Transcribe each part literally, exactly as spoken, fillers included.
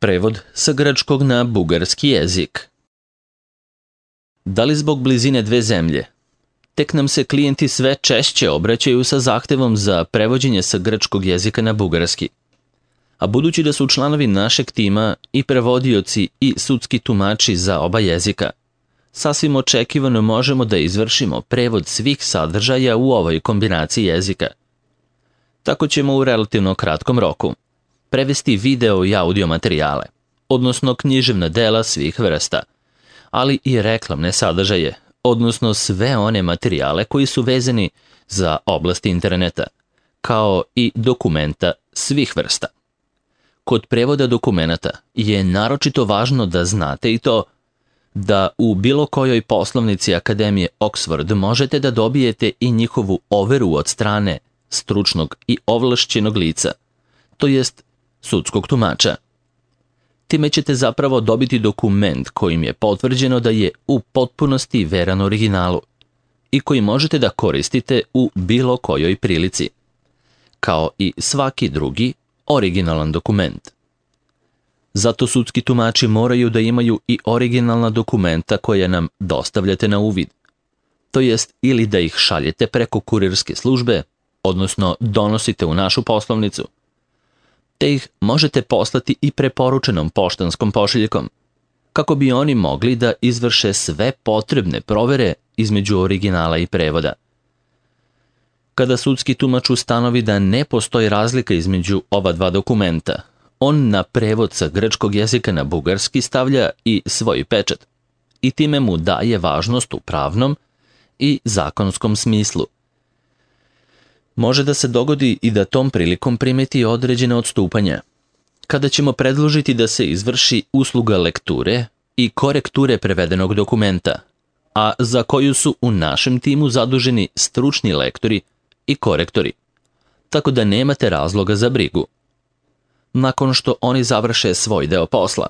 Prevod sa grčkog na bugarski jezik. Da li zbog blizine dve zemlje? Tek nam se klijenti sve češće obraćaju sa zahtevom za prevođenje sa grčkog jezika na bugarski. A budući da su članovi našeg tima i prevodioci i sudski tumači za oba jezika, sasvim očekivano možemo da izvršimo prevod svih sadržaja u ovoj kombinaciji jezika. Tako ćemo u relativno kratkom roku prevesti video i audio materijale, odnosno književna dela svih vrsta, ali i reklamne sadržaje, odnosno sve one materijale koji su vezani za oblast interneta, kao i dokumenta svih vrsta. Kod prevoda dokumenata je naročito važno da znate i to da u bilo kojoj poslovnici Akademije Oxford možete da dobijete i njihovu overu od strane stručnog i ovlašćenog lica, to jest sudskog tumača. Time ćete zapravo dobiti dokument kojim je potvrđeno da je u potpunosti veran originalu i koji možete da koristite u bilo kojoj prilici, kao i svaki drugi originalan dokument. Zato sudski tumači moraju da imaju i originalna dokumenta koja nam dostavljate na uvid, to jest ili da ih šaljete preko kurirske službe, odnosno donosite u našu poslovnicu, te ih možete poslati i preporučenom poštanskom pošiljkom, kako bi oni mogli da izvrše sve potrebne provere između originala i prevoda. Kada sudski tumač ustanovi da ne postoji razlika između ova dva dokumenta, on na prevod sa grčkog jezika na bugarski stavlja i svoj pečat i time mu daje važnost u pravnom i zakonskom smislu. Može da se dogodi i da tom prilikom primeti određene odstupanja, kada ćemo predložiti da se izvrši usluga lekture i korekture prevedenog dokumenta, a za koju su u našem timu zaduženi stručni lektori i korektori, tako da nemate razloga za brigu. Nakon što oni završe svoj deo posla,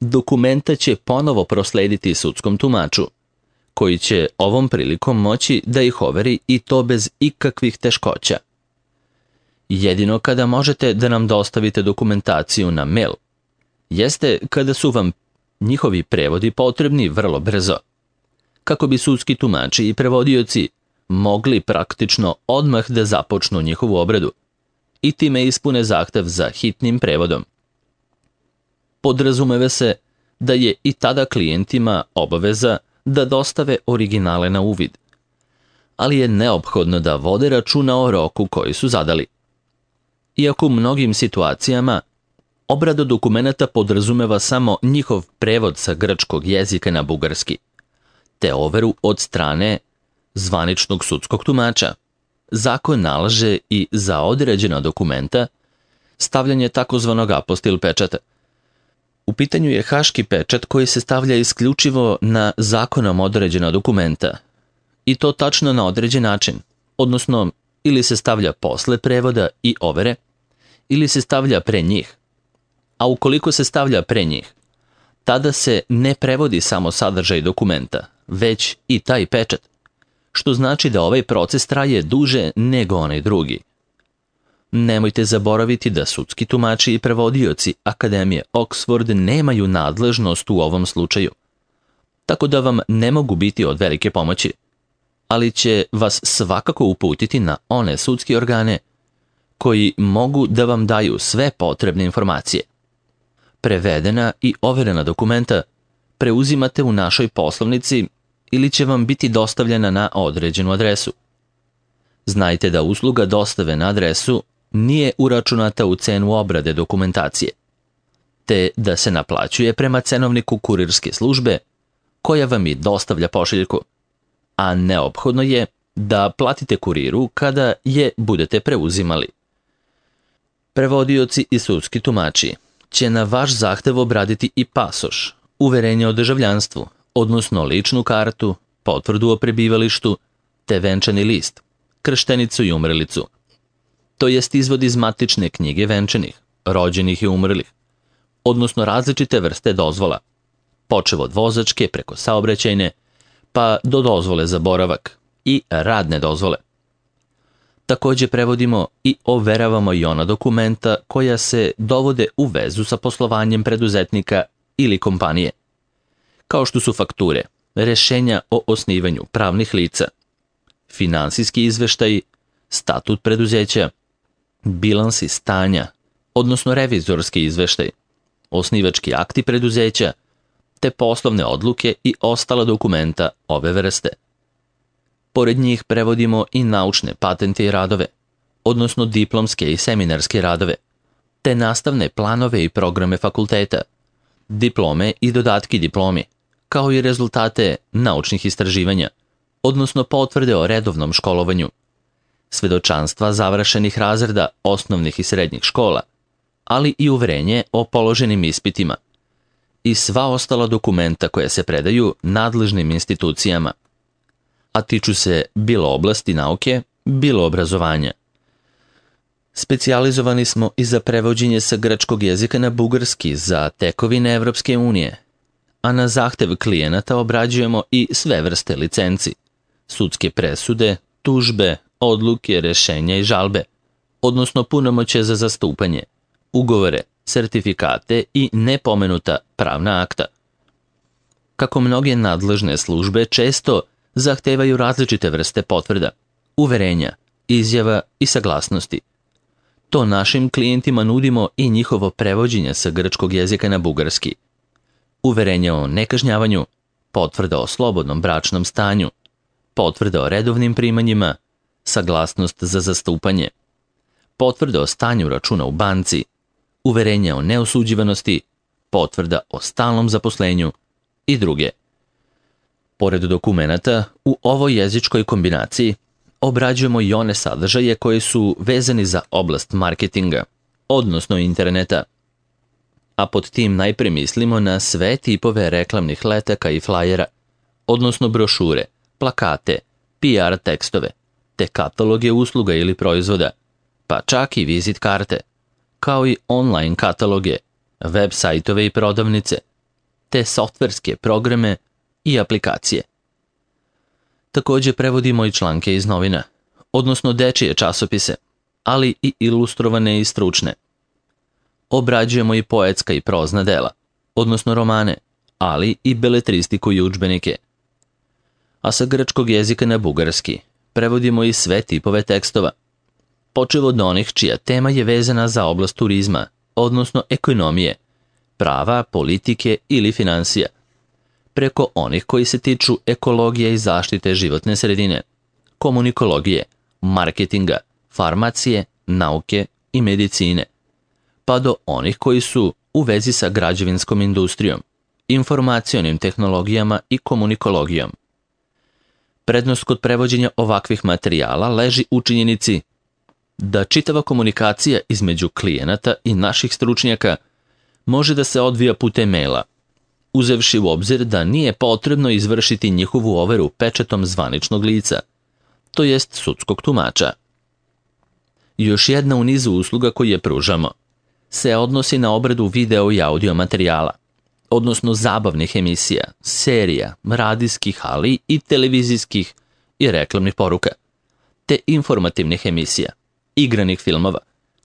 dokumenta će ponovo proslediti sudskom tumaču, koji će ovom prilikom moći da ih overi i to bez ikakvih teškoća. Jedino kada možete da nam dostavite dokumentaciju na mail, jeste kada su vam njihovi prevodi potrebni vrlo brzo, kako bi sudski tumači i prevodioci mogli praktično odmah da započnu njihovu obradu i time ispune zahtev za hitnim prevodom. Podrazumeva se da je i tada klijentima obaveza da dostave originale na uvid, ali je neophodno da vode računa o roku koji su zadali. Iako u mnogim situacijama obrada dokumenata podrazumeva samo njihov prevod sa grčkog jezika na bugarski, te overu od strane zvaničnog sudskog tumača, zakon nalaže i za određena dokumenta stavljanje takozvanog apostil pečata. U pitanju je haški pečat koji se stavlja isključivo na zakonom određena dokumenta, i to tačno na određen način, odnosno ili se stavlja posle prevoda i overe, ili se stavlja pre njih. A ukoliko se stavlja pre njih, tada se ne prevodi samo sadržaj dokumenta, već i taj pečat, što znači da ovaj proces traje duže nego onaj drugi. Nemojte zaboraviti da sudski tumači i prevodioci Akademije Oxford nemaju nadležnost u ovom slučaju, tako da vam ne mogu biti od velike pomoći, ali će vas svakako uputiti na one sudske organe koji mogu da vam daju sve potrebne informacije. Prevedena i overena dokumenta preuzimate u našoj poslovnici ili će vam biti dostavljena na određenu adresu. Znajte da usluga dostave na adresu nije uračunata u cenu obrade dokumentacije, te da se naplaćuje prema cenovniku kurirske službe koja vam i dostavlja pošiljku, a neophodno je da platite kuriru kada je budete preuzimali. Prevodioci i sudski tumači će na vaš zahtev obraditi i pasoš, uverenje o državljanstvu, odnosno ličnu kartu, potvrdu o prebivalištu, te venčani list, krštenicu i umrlicu, to jest izvod iz matične knjige venčanih, rođenih i umrlih, odnosno različite vrste dozvola, počev od vozačke preko saobraćajne, pa do dozvole za boravak i radne dozvole. Također prevodimo i overavamo i ona dokumenta koja se dovode u vezu sa poslovanjem preduzetnika ili kompanije, kao što su fakture, rješenja o osnivanju pravnih lica, finansijski izveštaji, statut preduzeća, bilansi stanja, odnosno revizorski izveštaj, osnivački akti preduzeća, te poslovne odluke i ostala dokumenta ove vrste. Pored njih prevodimo i naučne patente i radove, odnosno diplomske i seminarske radove, te nastavne planove i programe fakulteta, diplome i dodatki diplomi, kao i rezultate naučnih istraživanja, odnosno potvrde o redovnom školovanju, svedočanstva završenih razreda osnovnih i srednjih škola, ali i uverenje o položenim ispitima i sva ostala dokumenta koja se predaju nadležnim institucijama, a tiču se bilo oblasti nauke, bilo obrazovanja. Specijalizovani smo i za prevođenje sa grčkog jezika na bugarski za tekovine Evropske unije, a na zahtev klijenata obrađujemo i sve vrste licenci, sudske presude, tužbe, odluke, rješenja i žalbe, odnosno punomoćje za zastupanje, ugovore, sertifikate i nepomenuta pravna akta. Kako mnoge nadležne službe često zahtevaju različite vrste potvrda, uverenja, izjava i saglasnosti. To našim klijentima nudimo i njihovo prevođenje sa grčkog jezika na bugarski. Uverenja o nekažnjavanju, potvrda o slobodnom bračnom stanju, potvrda o redovnim primanjima, saglasnost za zastupanje, potvrda o stanju računa u banci, uverenja o neosuđivanosti, potvrda o stalnom zaposlenju i druge. Pored dokumenata, u ovoj jezičkoj kombinaciji obrađujemo i one sadržaje koji su vezani za oblast marketinga, odnosno interneta. A pod tim najpre mislimo na sve tipove reklamnih letaka i flajera, odnosno brošure, plakate, P R tekstove, te kataloge usluga ili proizvoda, pa čak i vizit karte, kao i online kataloge, web sajtove i prodavnice, te softverske programe i aplikacije. Također prevodimo i članke iz novina, odnosno dečije časopise, ali i ilustrovane i stručne. Obrađujemo i poetska i prozna dela, odnosno romane, ali i beletristiku i udžbenike. A sa grčkog jezika na bugarski prevodimo i sve tipove tekstova, počev od onih čija tema je vezana za oblast turizma, odnosno ekonomije, prava, politike ili financija, preko onih koji se tiču ekologije i zaštite životne sredine, komunikologije, marketinga, farmacije, nauke i medicine, pa do onih koji su u vezi sa građevinskom industrijom, informacionim tehnologijama i komunikologijom. Prednost kod prevođenja ovakvih materijala leži u činjenici da čitava komunikacija između klijenata i naših stručnjaka može da se odvija putem maila, uzevši u obzir da nije potrebno izvršiti njihovu overu pečatom zvaničnog lica, to jest sudskog tumača. Još jedna u nizu usluga koje pružamo se odnosi na obradu video i audio materijala, odnosno zabavnih emisija, serija, radijskih, ali i televizijskih i reklamnih poruka, te informativnih emisija, igranih filmova,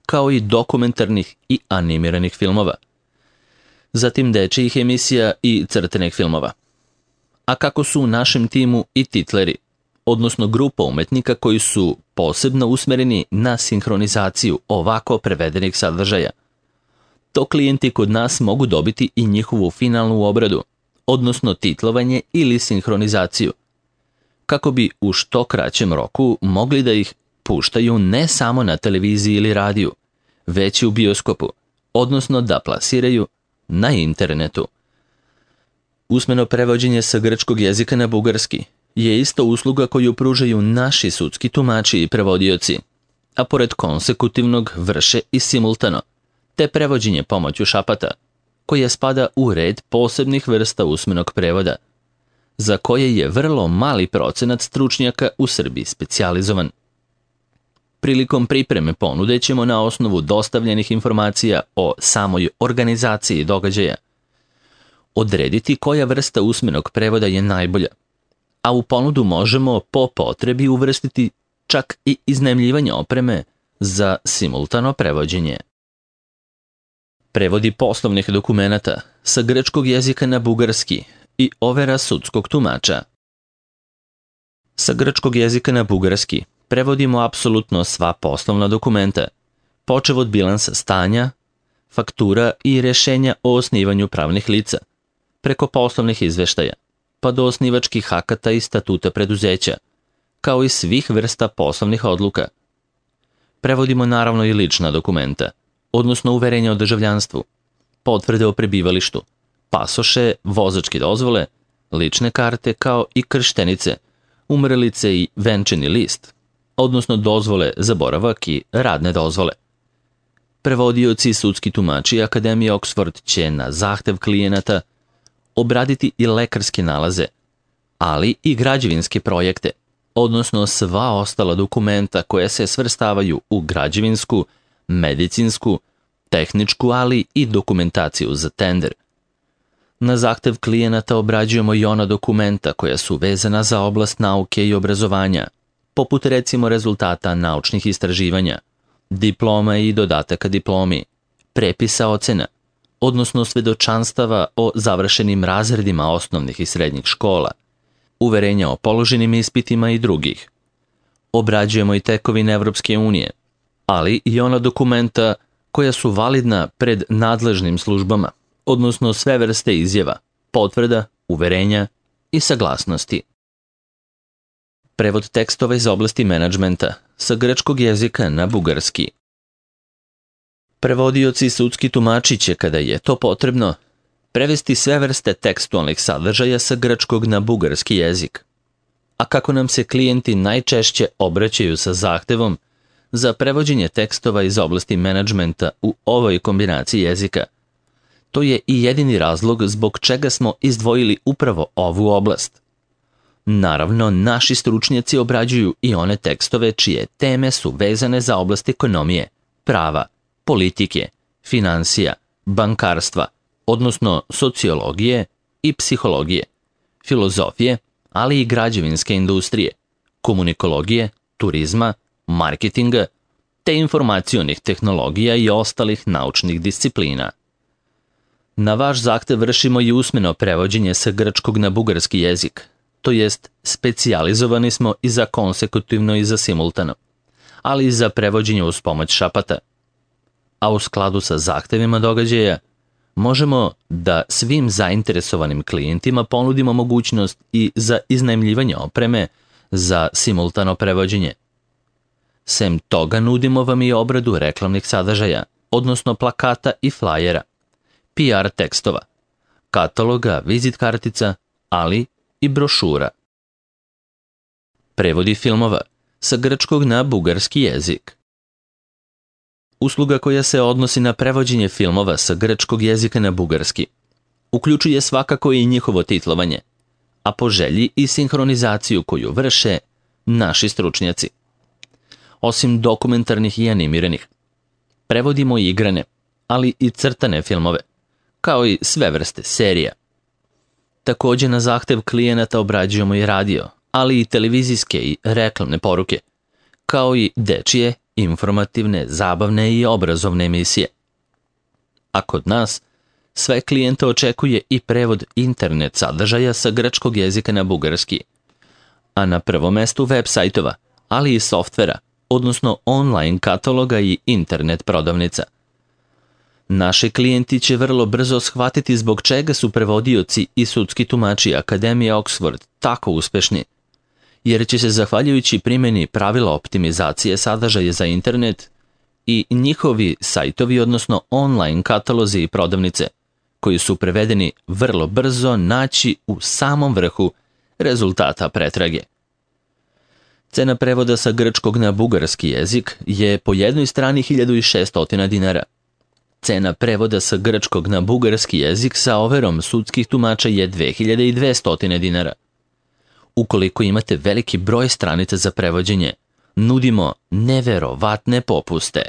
kao i dokumentarnih i animiranih filmova, zatim dečijih emisija i crtenih filmova. A kako su u našem timu i titleri, odnosno grupa umetnika koji su posebno usmereni na sinhronizaciju ovako prevedenih sadržaja, to klijenti kod nas mogu dobiti i njihovu finalnu obradu, odnosno titlovanje ili sinhronizaciju, kako bi u što kraćem roku mogli da ih puštaju ne samo na televiziji ili radiju, već i u bioskopu, odnosno da plasiraju na internetu. Usmeno prevođenje sa grčkog jezika na bugarski je isto usluga koju pružaju naši sudski tumači i prevodioci, a pored konsekutivnog vrše i simultano, te prevođenje pomoću šapata, koje spada u red posebnih vrsta usmenog prevoda, za koje je vrlo mali procenat stručnjaka u Srbiji specijalizovan. Prilikom pripreme ponude ćemo na osnovu dostavljenih informacija o samoj organizaciji događaja odrediti koja vrsta usmenog prevoda je najbolja, a u ponudu možemo po potrebi uvrstiti čak i iznajmljivanje opreme za simultano prevođenje. Prevodi poslovnih dokumenata sa grčkog jezika na bugarski i overa sudskog tumača. Sa grčkog jezika na bugarski prevodimo apsolutno sva poslovna dokumenta, počev od bilansa stanja, faktura i rešenja o osnivanju pravnih lica, preko poslovnih izveštaja, pa do osnivačkih akata i statuta preduzeća, kao i svih vrsta poslovnih odluka. Prevodimo naravno i lična dokumenta, odnosno uverenja o državljanstvu, potvrde o prebivalištu, pasoše, vozačke dozvole, lične karte kao i krštenice, umrlice i venčani list, odnosno dozvole za boravak i radne dozvole. Prevodioci i sudski tumači Akademije Oxford će na zahtev klijenata obraditi i lekarske nalaze, ali i građevinske projekte, odnosno sva ostala dokumenta koja se svrstavaju u građevinsku, medicinsku, tehničku, ali i dokumentaciju za tender. Na zahtev klijenata obrađujemo i ona dokumenta koja su vezana za oblast nauke i obrazovanja, poput recimo rezultata naučnih istraživanja, diploma i dodataka diplomi, prepisa ocena, odnosno svedočanstava o završenim razredima osnovnih i srednjih škola, uverenja o položenim ispitima i drugih. Obrađujemo i tekovine Evropske unije, ali i ona dokumenta koja su validna pred nadležnim službama, odnosno sve vrste izjava, potvrda, uverenja i saglasnosti. Prevod tekstova iz oblasti menadžmenta sa grčkog jezika na bugarski. Prevodioci i sudski tumači će, kada je to potrebno, prevesti sve vrste tekstualnih sadržaja sa grčkog na bugarski jezik. A kako nam se klijenti najčešće obraćaju sa zahtevom za prevođenje tekstova iz oblasti menadžmenta u ovoj kombinaciji jezika, to je i jedini razlog zbog čega smo izdvojili upravo ovu oblast. Naravno, naši stručnjaci obrađuju i one tekstove čije teme su vezane za oblast ekonomije, prava, politike, finansija, bankarstva, odnosno sociologije i psihologije, filozofije, ali i građevinske industrije, komunikologije, turizma, marketinga, te informacionih tehnologija i ostalih naučnih disciplina. Na vaš zahtev vršimo i usmeno prevođenje sa grčkog na bugarski jezik, to jest specijalizovani smo i za konsekutivno i za simultano, ali i za prevođenje uz pomoć šapata. A u skladu sa zahtevima događaja, možemo da svim zainteresovanim klijentima ponudimo mogućnost i za iznajmljivanje opreme za simultano prevođenje. Sem toga nudimo vam i obradu reklamnih sadržaja, odnosno plakata i flajera, P R tekstova, kataloga, vizit kartica, ali i brošura. Prevodi filmova sa grčkog na bugarski jezik. Usluga koja se odnosi na prevođenje filmova sa grčkog jezika na bugarski uključuje svakako i njihovo titlovanje, a po želji i sinhronizaciju koju vrše naši stručnjaci. Osim dokumentarnih i animiranih, prevodimo i igrane, ali i crtane filmove, kao i sve vrste serija. Također na zahtev klijenata obrađujemo i radio, ali i televizijske i reklamne poruke, kao i dečije, informativne, zabavne i obrazovne emisije. A kod nas, sve klijente očekuje i prevod internet sadržaja sa grčkog jezika na bugarski, a na prvom mestu web sajtova, ali i softvera, odnosno online kataloga i internet prodavnica. Naši klijenti će vrlo brzo shvatiti zbog čega su prevodioci i sudski tumači Akademije Oxford tako uspešni, jer će se zahvaljujući primjeni pravila optimizacije sadržaja za internet i njihovi sajtovi, odnosno online katalozi i prodavnice, koji su prevedeni vrlo brzo naći u samom vrhu rezultata pretrage. Cena prevoda sa grčkog na bugarski jezik je po jednoj strani hiljadu šessto dinara. Cena prevoda sa grčkog na bugarski jezik sa overom sudskih tumača je dve hiljade dvesta dinara. Ukoliko imate veliki broj stranica za prevođenje, nudimo neverovatne popuste.